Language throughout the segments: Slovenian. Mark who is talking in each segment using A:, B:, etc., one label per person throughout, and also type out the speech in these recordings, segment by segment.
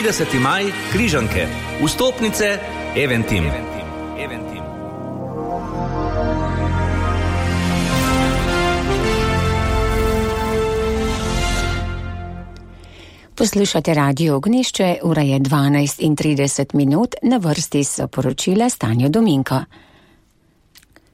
A: 30. maj, Križanke, vstopnice, Eventim.
B: Poslušate Radio Ognjišče, ura je 12:30, na vrsti so poročila Stanja Dominko.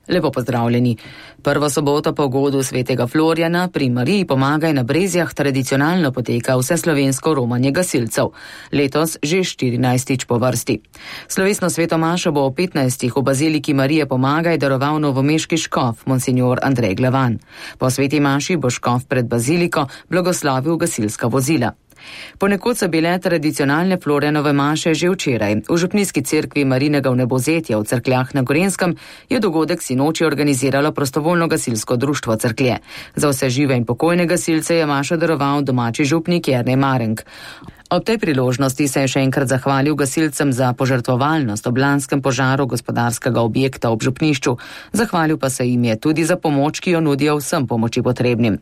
C: Lepo pozdravljeni. Prvo soboto po godu svetega Florjana pri Mariji Pomagaj na Brezjah tradicionalno poteka vseslovensko romanje gasilcev. Letos že 14. po vrsti. Slovesno svetomašo bo o 15. v baziliki Marije Pomagaj daroval novomeški škof, monsignor Andrej Glavan. Po sveti maši bo škof pred baziliko blagoslovil gasilska vozila. Ponekod so bile tradicionalne Florjanove maše že včeraj. V župnijski cerkvi Marinega vnebozetja v Cerkljah na Gorenjskem je dogodek sinoči organiziralo prostovoljno gasilsko društvo Cerklje. Za vse žive in pokojne gasilce je mašo daroval domači župnik Jernej Marenk. Ob tej priložnosti se je še enkrat zahvalil gasilcem za požrtvovalnost ob lanskem požaru gospodarskega objekta ob župnišču. Zahvalil pa se jim je tudi za pomoč, ki jo nudijo vsem pomoči potrebnim.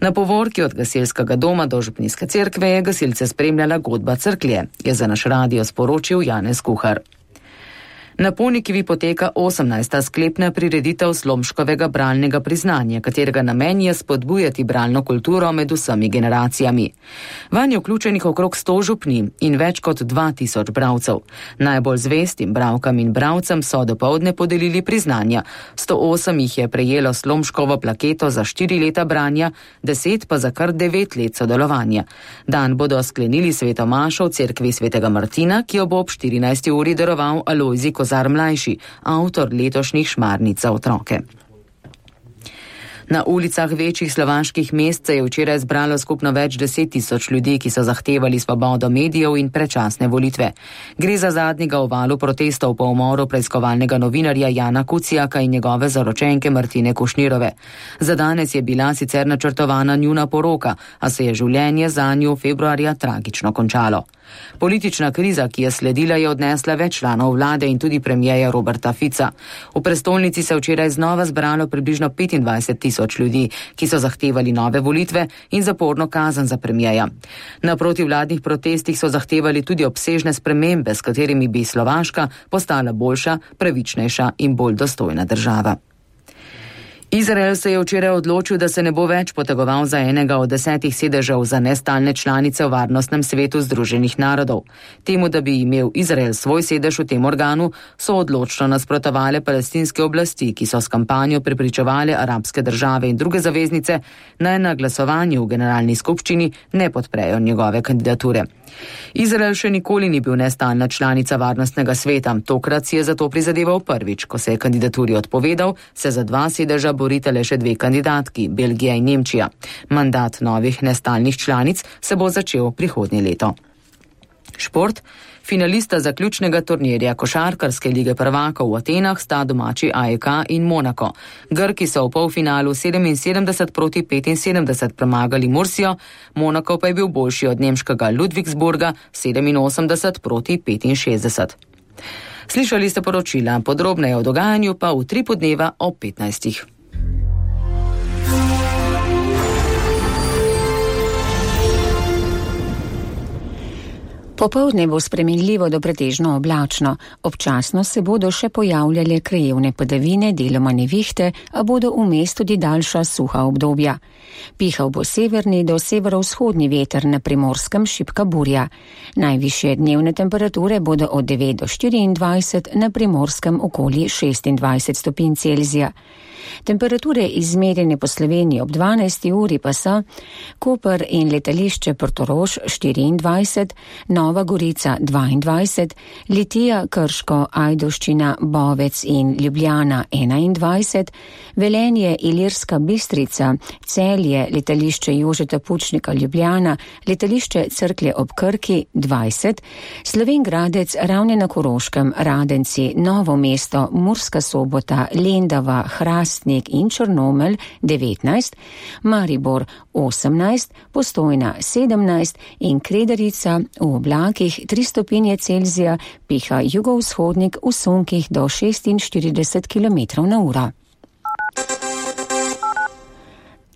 C: Na povorki od gasilskega doma do župnijske cerkve je gasilce spremljala godba Cerklje, je za naš radio sporočil Janez Kuhar. Na Ponikvi poteka 18. sklepna prireditev Slomškovega bralnega priznanja, katerega namen je spodbujati bralno kulturo med vsemi generacijami. Vanj je vključenih okrog 100 župni in več kot 2000 bralcev. Najbolj zvestim bralkam in bralcem so dopoldne podelili priznanja. 108 jih je prejelo Slomškovo plaketo za 4 leta branja, 10 pa za kar 9 let sodelovanja. Dan bodo sklenili svetomašo v cerkvi svetega Martina, ki jo bo ob 14. uri daroval Alojzij Kozar mlajši, avtor letošnjih šmarnic za otroke. Na ulicah večjih slovaških mest se je včeraj zbralo skupno več 10 000 ljudi, ki so zahtevali svobodo medijev in predčasne volitve. Gre za zadnjega v valu protestov po umoru preiskovalnega novinarja Jana Kucijaka in njegove zaročenke Martine Kušnirove. Za danes je bila sicer načrtovana njuna poroka, a se je življenje zanju februarja tragično končalo. Politična kriza, ki je sledila, je odnesla več članov vlade in tudi premijeja Roberta Fica. V prestolnici se je včeraj znova zbralo približno 25 000 ljudi, ki so zahtevali nove volitve in zaporno kazen za premijeja. Na protivladnih protestih so zahtevali tudi obsežne spremembe, s katerimi bi Slovaška postala boljša, pravičnejša in bolj dostojna država. Izrael se je včeraj odločil, da se ne bo več potegoval za enega od 10 sedežev za nestalne članice v Varnostnem svetu Združenih narodov. Temu, da bi imel Izrael svoj sedež v tem organu, so odločno nasprotovale palestinske oblasti, ki so s kampanjo prepričevale arabske države in druge zaveznice, naj na glasovanju v generalni skupščini ne podprejo njegove kandidature. Izrael še nikoli ni bil nestalna članica Varnostnega sveta. Tokrat si je zato prizadeval prvič. Ko se je kandidaturi odpovedal, se za 2 sedeža borita le še 2 kandidatki, Belgija in Nemčija. Mandat novih nestalnih članic se bo začel prihodnje leto. Šport. Finalista zaključnega turnirja košarkarske lige prvakov v Atenah sta domači AEK in Monako. Grki so v polfinalu 77-75 premagali Mursijo, Monako pa je bil boljši od nemškega Ludwigsburga 87-65. Slišali ste poročila, podrobneje o dogajanju pa v 3 podneva ob 15.
B: Popoldne bo spremenljivo do pretežno oblačno. Občasno se bodo še pojavljale krajevne padavine, deloma nevihte, a bodo vmes tudi daljša suha obdobja. Pihal bo severni do severovzhodni veter, na Primorskem šibka burja. Najvišje dnevne temperature bodo od 9 do 24, na Primorskem okoli 26 stopinj Celzija. Temperature izmerjene po Sloveniji ob 12. uri pa so Koper in letališče Portorož 24, Nova Gorica 22, Litija, Krško, Ajdovščina, Bovec in Ljubljana 21, Velenje, Ilirska Bistrica, Celje, letališče Jožeta Pučnika Ljubljana, letališče Cerklje ob Krki 20, Slovenj Gradec, Ravne na Koroškem, Radenci, Novo mesto, Murska Sobota, Lendava, Hrastnik in Črnomelj 19, Maribor 18, Postojna 17 in Kredarica v oblakih 3 stopinje Celzija, piha jugovzhodnik v sunkih do 46 km/h.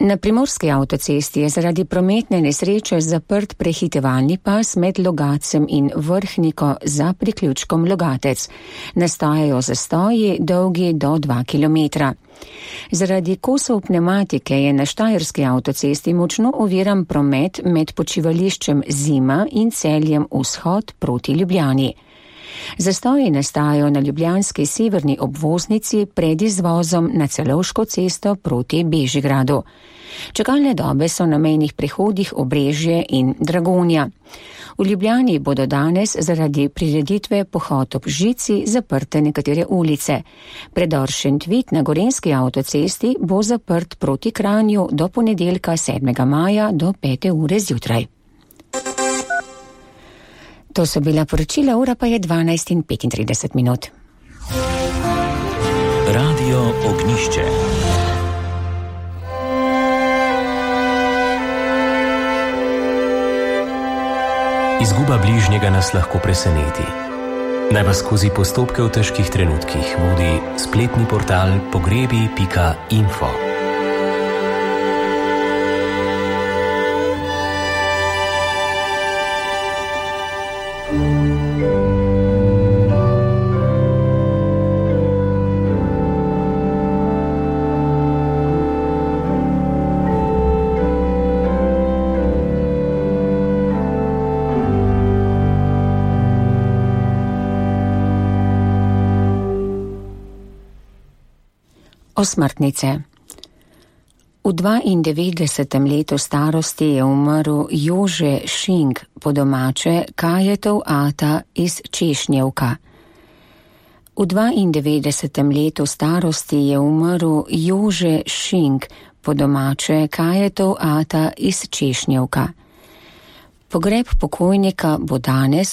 B: Na primorski avtocesti je zaradi prometne nesreče zaprt prehitevalni pas med Logacem in Vrhniko za priključkom Logatec. Nastajajo zastoji dolgi do 2 km. Zaradi kosov pnevmatike je na štajerski avtocesti močno oviran promet med počivališčem Zima in Celjem Vzhod proti Ljubljani. Zastoji nastajajo na ljubljanski severni obvoznici pred izvozom na Celovško cesto proti Bežigradu. Čakalne dobe so na mejnih prehodih Obrežje in Dragonja. V Ljubljani bodo danes zaradi prireditve Pohod ob žici zaprte nekatere ulice. Predor Šentvid na gorenjski avtocesti bo zaprt proti Kranju do ponedeljka 7. maja do 5. ure zjutraj. To so bila poročila, ura pa je 12:35.
A: Radio Ognjišče. Izguba bližnjega nas lahko preseneti. Naj vas skozi postopke v težkih trenutkih vodi spletni portal pogrebi.info.
B: Osmrtnice. V 92. letu starosti je umrl Jože Šink, po domače Kajetov ata iz Češnjevka. V 92. letu starosti je umrl Jože Šink, po domače Kajetov ata iz Češnjevka. Pogreb pokojnika bo danes